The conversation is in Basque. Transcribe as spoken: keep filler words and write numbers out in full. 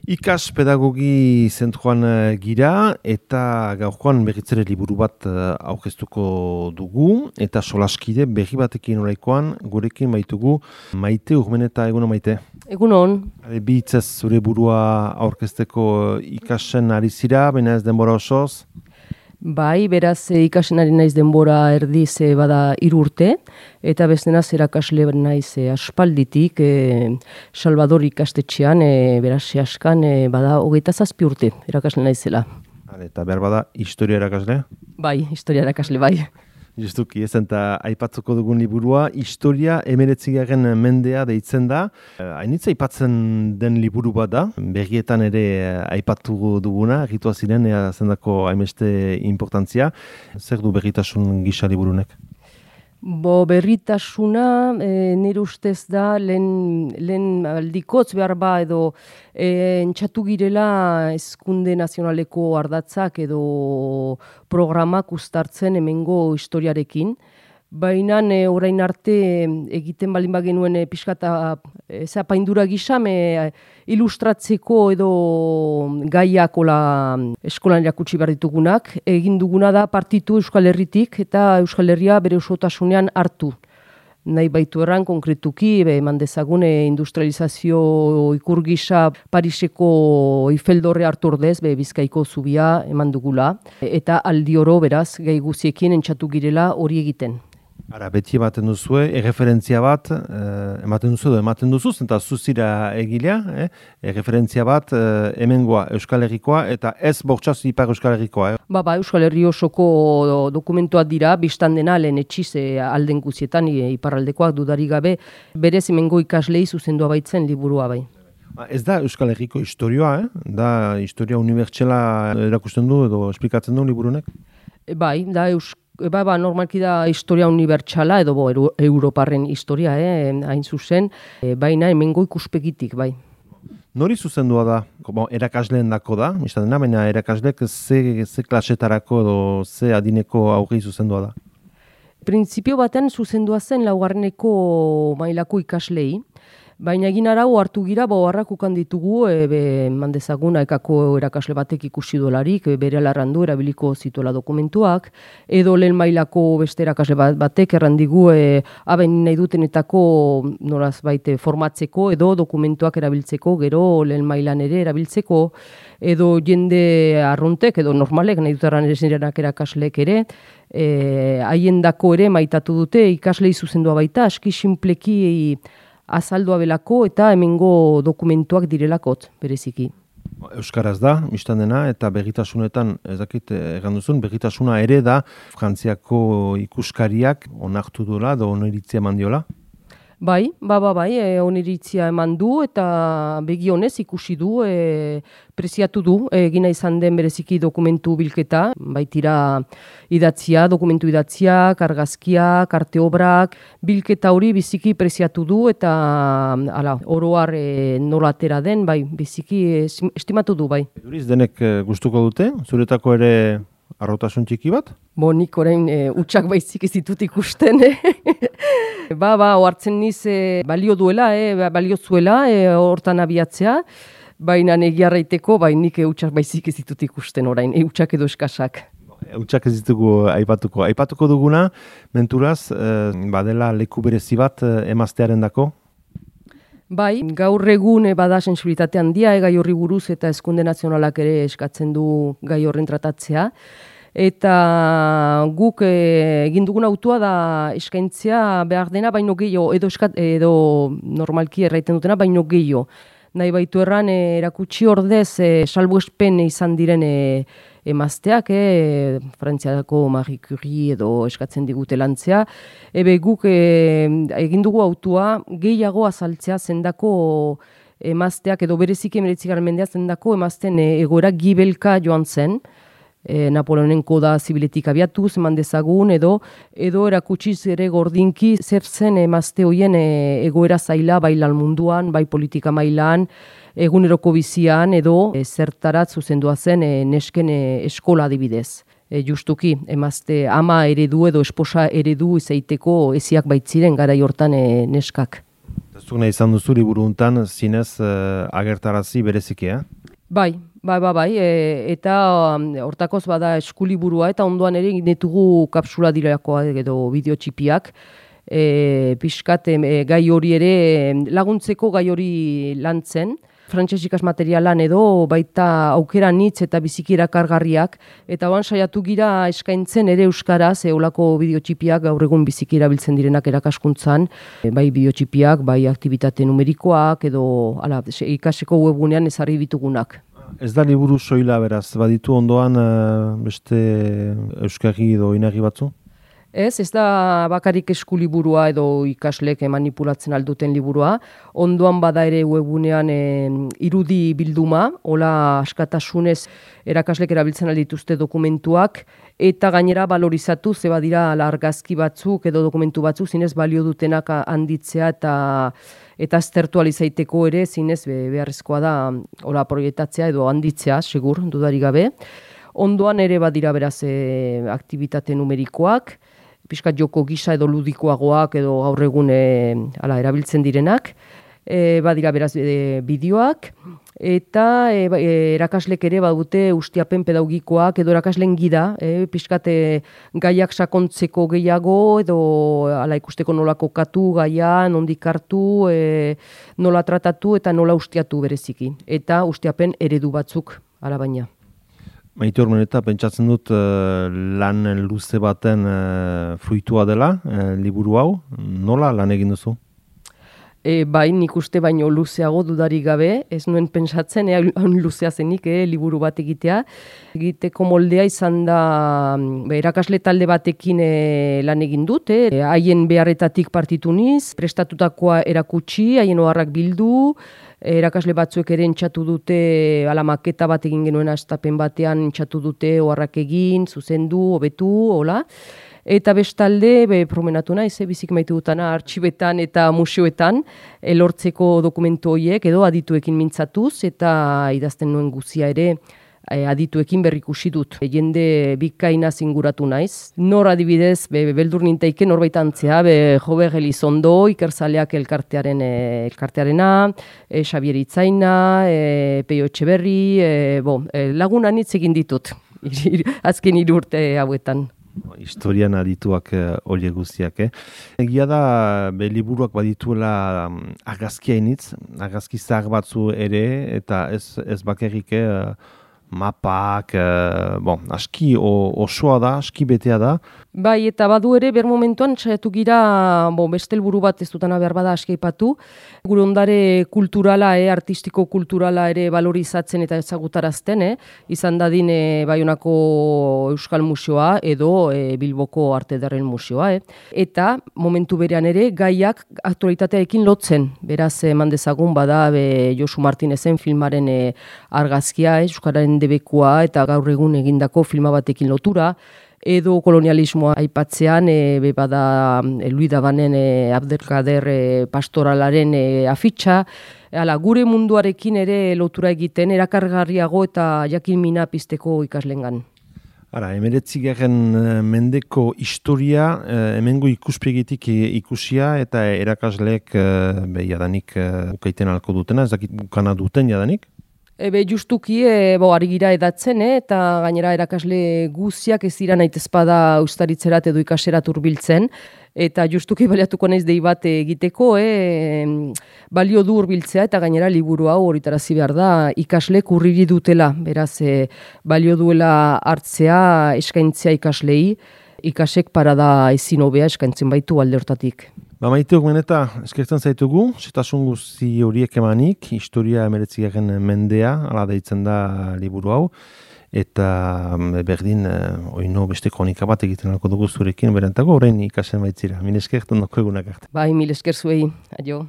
Ikas pedagogi zentroan gira eta gaurkoan berritzere liburu bat aurkeztuko dugu eta solaskide berri batekin oraikoan gurekin baitugu Maite Urmeneta. Egunon, Maite? Egunon. Bi hitzez zure burua aurkezteko ikasen ari zira, baina ez denbora osoz? Bai, beraz ikasen ari naiz denbora erdiz e, bada hiru urte, eta bestenaz erakasle naiz e, aspalditik e, Salvador ikastetxean, e, beraz askan e, bada hogeita zazpi urte erakasle naizela. Eta behar bada historia erakasle? Bai, historia erakasle, bai. Justuki, ez eta aipatzuko dugun liburua, historia emeretzigaren mendea deitzen da. Hainitza aipatzen den liburu bat da, berrietan ere aipatu duguna, egitua ziren, ea zendako hainbeste importantzia. Zer du berritasun gisa liburunek? Bo, berritasuna e, nire ustez da lehen, lehen aldikotz behar ba edo e, entxatu girela hezkunde nazionaleko ardatzak edo programak uztartzen hemengo historiarekin. Baina e, orain arte egiten balin bagenuen e, pixkata e, zapaindura gisa e, ilustratzeko edo gaiak ola eskolan erakutsi behar ditugunak. Egin duguna da partitu Euskal Herritik eta Euskal Herria bere osotasunean hartu. Nahi baitu erran konkretuki, be, eman dezagune industrializazio ikur gisa Pariseko Eifeldorre hartu ordez, be, Bizkaiko zubia eman dugula. Eta aldi oro beraz, gai guziekin entxatu girela hori egiten. Ara, beti ematen duzue, erreferentzia bat, eh, ematen duzu edo ematen duzuz, eta zuzira egilea, eh? erreferentzia bat, eh, hemengoa Euskal Herrikoa, eta ez bortxaz ipar Euskal Herrikoa. Eh? Ba, ba, Euskal Herri osoko dokumentuak dira, biztan dena lehen etxiz e, alden guzietan, e, iparraldekoak dudarik gabe, berez hemengo ikaslei zuzendua baitzen liburua bai. Ez da Euskal Herriko historioa, eh? Da historia unibertsela erakusten du edo esplikatzen du liburunek? E, bai, da Euskal Ba, ba, normalki da historia unibertsala edo bo, Europarren historia, eh, hain zuzen, e, baina hemengo ikuspegitik, bai. Nori zuzendua da? Bo, erakasleen dako da, dena, baina erakaslek ze, ze klasetarako edo ze adineko aurri zuzendua da? Printzipio batean zuzendua zen laugarreneko mailako ikaslei, baina egin arau hartu gira, bo harrak ukan ditugu, e, be, mandezaguna ekako erakasle batek ikusi dolarik, e, bere alarrandu erabiliko zituela dokumentuak, edo lehen mailako beste erakasle batek errandigu, e, aben nahi dutenetako noraz baite formatzeko, edo dokumentuak erabiltzeko, gero lehen mailan ere erabiltzeko, edo jende arruntek, edo normalek nahi dutaran erenak erakaslek ere, haien dako ere maitatu dute, ikaslei zuzendua baita, aski sinpleki azaldua belako eta hemengo dokumentuak direlakot, bereziki. Euskaraz da, biztan dena, eta berritasunetan, ez dakit egan duzun, berritasuna ere da Frantziako ikuskariak onartu duela, edo oniritzia eman diola? Bai, ba, ba, bai, e, oniritzia eman du eta begi honez ikusi du, e, preziatu du, egina izan den bereziki dokumentu bilketa, baitira idatzia, dokumentu idatzia, argazkiak, arte obrak, bilketa hori biziki preziatu du eta ala, oroar e, nola atera den, bai, biziki e, estimatu du, bai. Duriz denek gustuko dute, zuretako ere arrotasun txiki bat? Bo, nik orain e, utxak baizik ez ditut ikusten, Ba, ba, ohartzen niz e, balio duela, e, balio zuela, e, hortan abiatzea, baina egiarraiteko, bai nik eutxak baizik ez ditut ikusten orain, eutxak edo eskasak. Eutxak ez ditugu aipatuko. Aipatuko duguna, menturaz, e, badela leku berezi bat e, emaztearen dako? Bai, gaur egun e, bada sensibilitate handia, e, gai horri buruz eta hezkunde nazionalak ere eskatzen du gai horren tratatzea. Eta guk e, egin dugun autua da eskaintzea behar dena baino gehiago, edo, eskat, edo normalki erraiten dutena baino gehiago. Nahi baitu erran e, erakutsi ordez e, salbuespen izan diren e, emazteak, e, Frantziako Marie Curie edo eskatzen digute lantzea. Ebe guk e, egin dugu autua gehiago azaltzea zendako emazteak edo bereziki emeretzigaren mendea zendako emazten e, egoera gibelka joan zen. E, Napoleonen koda zibiletik abiatuz, eman dezagun, edo edo erakutsiz ere gordinki zer zen emazte hoien e, egoera zaila bai lan munduan, bai politika mailan, eguneroko bizian, edo e, zertarat zuzendua zen e, nesken e, eskola adibidez. E, justuki, emazte ama eredu edo esposa eredu izaiteko eziak baitziren garai hortan e, neskak. Zuk nahi izan duzu liburu hontan zinez uh, agertarazi berezikea? Bai, bai, bai, bai, e, eta um, hortakoz bada eskuliburua eta ondoan ere egin ditugu kapsula dirakoa edo bideo txipiak. E, pixkat e, gai hori ere laguntzeko gai hori lantzen. Frantses ikas materialan edo baita aukera nitz eta biziki erakargarriak eta oan saiatu gira eskaintzen ere euskaraz eolako bideotxipiak gaur egun biziki erabiltzen direnak erakaskuntzan, bai bideotxipiak, bai aktibitate numerikoak edo ala, ikaseko webgunean ezarri ditugunak. Ez da liburu soila beraz, baditu ondoan beste euskarri edo inarri batzu? Ez, ez da bakarik eskuliburua edo ikaslek manipulatzen alduten liburua. Ondoan bada ere webunean e, irudi bilduma, hola askatasunez erakaslek erabiltzen aldituzte dokumentuak, eta gainera balorizatu, ze badira argazki batzuk edo dokumentu batzuk zinez balio dutenak handitzea eta eta aztertu alizaiteko ere zinez be, beharrezkoa da hola proiektatzea edo handitzea, segur, dudari gabe. Ondoan ere badira beraz e, aktibitate numerikoak, pixkat joko gisa edo ludikoagoak edo gaur egun e, ala, erabiltzen direnak, e, badira beraz e, bideoak, eta e, e, erakaslek ere badute ustiapen pedagogikoak edo erakaslen gida, e, pixkat e, gaiak sakontzeko gehiago edo ala, ikusteko nola kokatu gaia, nondik hartu, e, nola tratatu eta nola ustiatu bereziki. Eta ustiapen eredu batzuk ala baina. Maite Urmeneta, pentsatzen dut uh, lan luze baten uh, fruitua dela, uh, liburu hau, nola lan egin duzu? E, bai, nik uste baino luzeago dudarik gabe, ez nuen pentsatzen, ea luzea zenik, eh, liburu bat egitea. Egiteko moldea izan da, be, erakasle talde batekin e, lan egin dut, eh, haien beharretatik partitu niz, prestatutakoa erakutsi, haien oharrak bildu, erakasle batzuek ere entxatu dute, ala maketa bat egin genuen astapen batean entxatu dute oharrak egin, zuzendu, hobetu, hola. Eta bestalde, be, promenatu naiz, e, bizik maite dutana artxibetan eta museoetan, elortzeko dokumentu horiek edo adituekin mintzatuz, eta idazten nuen guzia ere e, adituekin berrikusi dut. E, jende bikaina zinguratu naiz. Nor adibidez, be, beldur nintaike norbait antzea, be, Jobe Gelizondo, Ikerzaleak elkartearen, e, elkartearena, e, Xabier Itzaina, e, Peio Etxeberri, e, bo, e, lagunan hitz egin ditut, azken hiru urte hauetan. Historian adituak hori uh, guztiak, eh? Egia da, be, liburuak badituela um, argazkia initz, argazki zahar batzu ere, eta ez, ez bakarrik eh, mapak, uh, bon, aski o, osoa da, aski betea da. Bai, eta badu ere, ber momentuan, saiatu gira, bo, beste helburu bat ez dutana behar bada aski aipatu, gure ondare kulturala, eh, artistiko kulturala ere valorizatzen eta ezagutarazten, eh, izan dadin eh, Baionako Euskal Museoa edo eh, Bilboko Arte Ederren Museoa. Eh. Eta momentu berean ere, gaiak aktualitatearekin lotzen, beraz eman dezagun bada be, Josu Martinezen filmaren eh, argazkia, eh, Euskararen debekua eta gaur egun egindako filma batekin lotura, edo kolonialismoa aipatzean, e, be bada e, Luis Dabanen e, Abdelkader e, pastoralaren e, afitxa, hala, gure munduarekin ere lotura egiten, erakargarriago eta jakin mina pizteko ikaslengan. Ara, hemeretzigarren mendeko historia, eh, hemengo ikuspegitik ikusia eta erakasleek eh, be, jadanik eh, ukaiten alko dutena, ez dakit ukana duten jadanik? Ebe justuki, e, bo, ari gira edatzen, eh, eta gainera erakasle guziak ez dira nahitezpada ustaritzerat edo ikaserat hurbiltzen, eta justuki baliatuko naiz dei bat egiteko, eh, balio du hurbiltzea eta gainera liburu hau horitarazi behar da ikaslek urriri dutela, beraz e, balio duela hartzea eskaintzea ikaslei, ikasek parada ezin hobea eskaintzen baitu alde hortatik. Ba, Maite Urmeneta, eskertzen zaitugu, zetasun guzti horiek emanik, historia hemeretzigarren mendea, ala deitzen da liburu hau, eta berdin, oino beste kronika bat egiten alko dugu zurekin, berentago, orain ikasen baitzira. Mil esker, tondoko egunak arte. Bai, mil esker zuei, adio.